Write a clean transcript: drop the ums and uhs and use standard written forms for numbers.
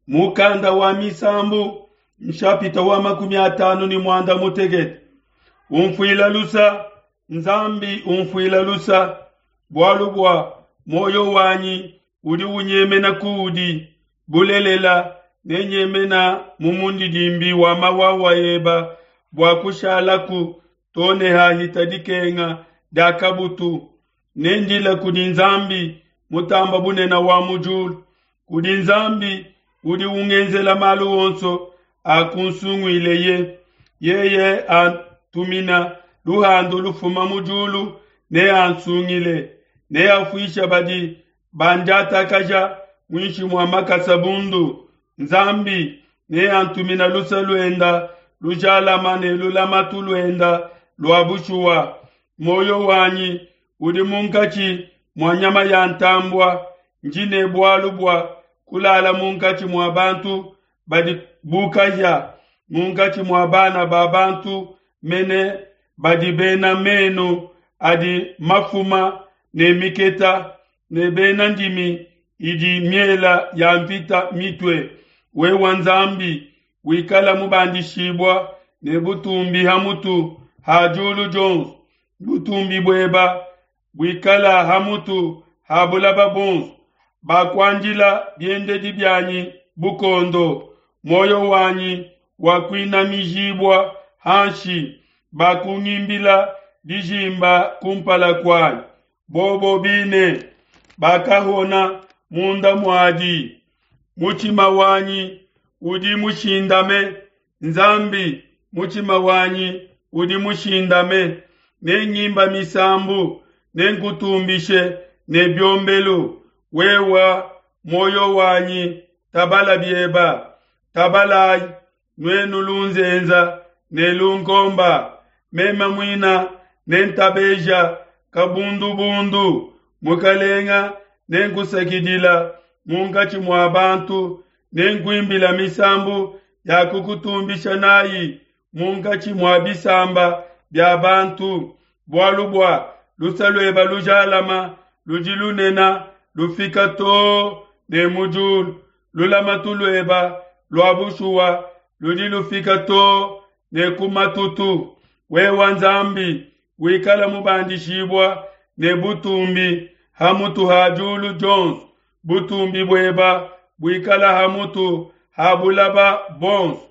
Mukanda wa Misambu nshapita wa 56. Umfuila lusa, Nzambi umfuila lusa, bualu bua muoyo wanyi udi unyemena kuudi. Bulelela, nenyemena mu mundidimbi wa mawawa eba bua kushalaku too ne hahita dikenga dia kabutu. Nendile kudi Nzambi mutamba bunene wa mu diulu, kudi Nzambi udi ungenzela malu onso akunsunguileye. Yeye antumina luhandu lufuma mu diulu, neansungile, neafuishe badi bandiatakaja muinshi mua makasa bundu. Nzambi neantumina luse luenda lujalama ne lulamatu luenda lua bushuwa. Muoyo wanyi udi munkatshi mua nyama ya ntambua, ndi ne bualu bua kulala munkatshi mua bantu badi bu kahia, munkatshi mua bana ba bantu mene badi bena menu adi mafuma ne miketa, ne bena ndimi idi miela ya mvita mitue. Wewe Nzambi, wikala mubandishibua ne butumbi ha mutu ha diulu dionso, butumbi bueba buikala ha mutu ha bulaba buonso. Bakuandila biendedi bianyi bukondo, muoyo wanyi wakuinamijibua hanshi, bakungimbila dijimba kumpala kuanyi. Bobo bine bakahona munda muadi. Mutshima wanyi udi mushindame, Nzambi, mutshima wanyi udi mushindame. Nengimba misambu, nenkutumbishe ne biombelu. Wewa muoyo wanyi, tabala bieba, tabalayi nuenu lunzenza ne lunkomba. Meme muina nentabeja kabundubundu, mukalenga nenkusakidila munkatshi mua bantu, nenkuimbila misambu ya kukutumbisha nayi munkatshi mua bisamba bia bantu, bualu bua luse lueba lujalama ludi lunena lufika too ne mu diulu, lulamatu lueba lua bushuwa ludi lufika too ne ku matutu. Wewa Nzambi, wikala mubandishibua ne butumbi ha mutu ha diulu dionso, butumbi bueba buikala ha mutu ha bulaba bonso.